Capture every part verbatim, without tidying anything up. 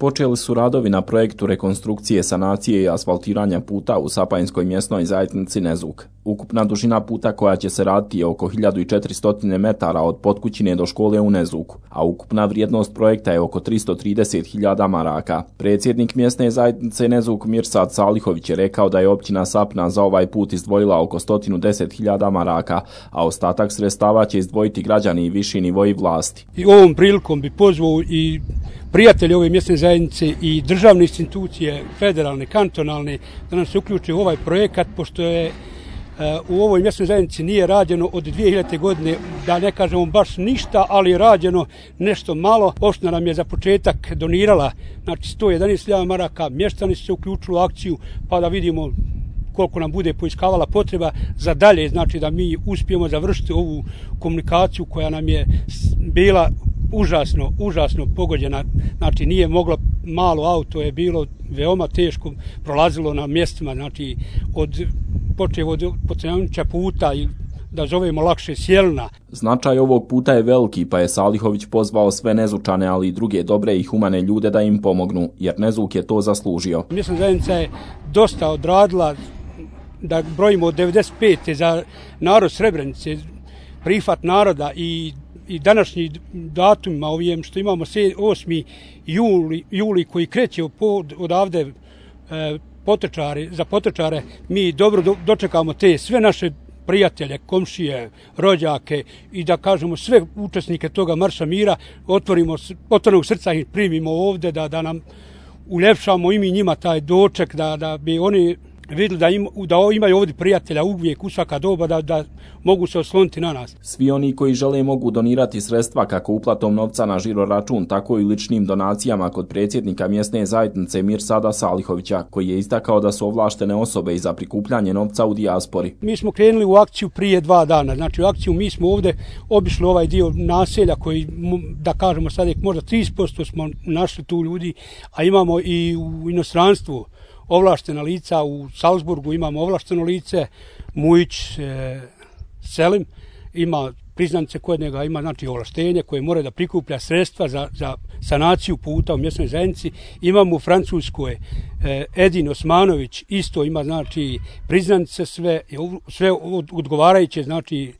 Počeli su radovi na projektu rekonstrukcije, sanacije i asfaltiranja puta u Sapajinskoj mjesnoj zajednici Nezuk. Ukupna dužina puta koja će se raditi je oko hiljadu četiristo metara od Potkućine do škole u Nezuku, a ukupna vrijednost projekta je oko tristo trideset hiljada maraka. Predsjednik mjesne zajednice Nezuk Mirsad Salihović je rekao da je općina Sapna za ovaj put izdvojila oko sto deset hiljada maraka, a ostatak sredstava će izdvojiti građani i viši nivoji vlasti. I ovom prilikom bi pozvao i prijatelji ove mjesne zajednice i državne institucije, federalne, kantonalne, da nam se uključe u ovaj projekat, pošto je u ovoj mjesnoj zajednici nije rađeno od dvije hiljadite. godine, da ne kažemo baš ništa, ali je rađeno nešto malo. Opština nam je za početak donirala znači sto jedanaest hiljada maraka, mještani su se uključili u akciju, pa da vidimo koliko nam bude poiskavala potreba za dalje, znači da mi uspijemo završiti ovu komunikaciju koja nam je bila užasno, užasno pogođena, znači nije moglo, malo auto je bilo veoma teško, prolazilo na mjestima, znači od počev od Pocenjanića puta i da zovemo lakše Sjelna. Značaj ovog puta je veliki, pa je Salihović pozvao sve Nezučane, ali i druge dobre i humane ljude da im pomognu, jer Nezuk je to zaslužio. Mjesna zajednica je dosta odradila, da brojimo od devedeset pete za narod Srebrenice, prihvat naroda i i današnji datumima ovijem što imamo osmi juli, juli koji kreće od, odavde e, potečari, za potečare, mi dobro do, dočekamo te sve naše prijatelje, komšije, rođake i da kažemo sve učesnike toga Marša mira, otvorimo, otvorenog srca ih primimo ovde, da, da nam uljepšamo i mi njima taj doček, da, da bi oni vidjeli da, im, da imaju ovdje prijatelja uvijek u svaka doba, da, da mogu se osloniti na nas. Svi oni koji žele mogu donirati sredstva kako uplatom novca na žiro račun, tako i ličnim donacijama kod predsjednika mjesne zajednice Mirsada Salihovića, koji je istakao da su ovlaštene osobe i za prikupljanje novca u dijaspori. Mi smo krenuli u akciju prije dva dana, znači u akciju mi smo ovdje obišli ovaj dio naselja koji, da kažemo sad, možda trideset posto smo našli tu ljudi, a imamo i u inostranstvu ovlaštena lica, u Salzburgu imamo ovlašteno lice, Mujić e, Selim ima priznanice kod njega, ima znači ovlaštenje koje mora da prikuplja sredstva za, za sanaciju puta u mjesnoj zajednici. Imamo u Francuskoj e, Edin Osmanović, isto ima znači priznanice sve, sve odgovarajuće znači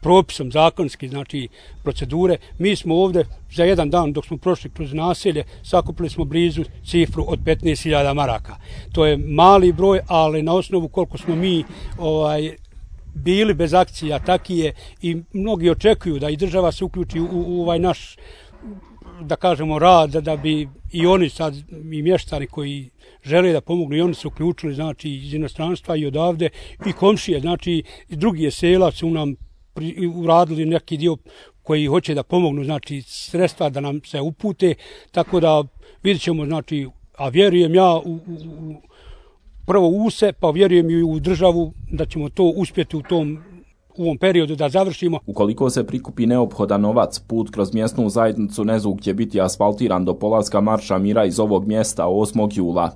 propisom zakonski, znači procedure. Mi smo ovdje za jedan dan dok smo prošli kroz naselje sakupili smo blizu cifru od petnaest hiljada maraka. To je mali broj, ali na osnovu koliko smo mi ovaj bili bez akcija, taki je i mnogi očekuju da i država se uključi u, u ovaj naš, da kažemo, rad, da, da bi i oni sad, i mještani koji žele da pomognu, i oni su uključili, znači, iz inostranstva i odavde, i komšije, znači, i drugi sela su nam pri, uradili neki dio koji hoće da pomognu, znači, sredstva da nam se upute, tako da vidjet ćemo, znači, a vjerujem ja u, u, u prvo u se, pa vjerujem i u državu da ćemo to uspjeti u tom u ovom periodu da završimo. Ukoliko se prikupi neophodan novac, put kroz mjesnu zajednicu Nezuk će biti asfaltiran do polaska Marša mira iz ovog mjesta osmog jula.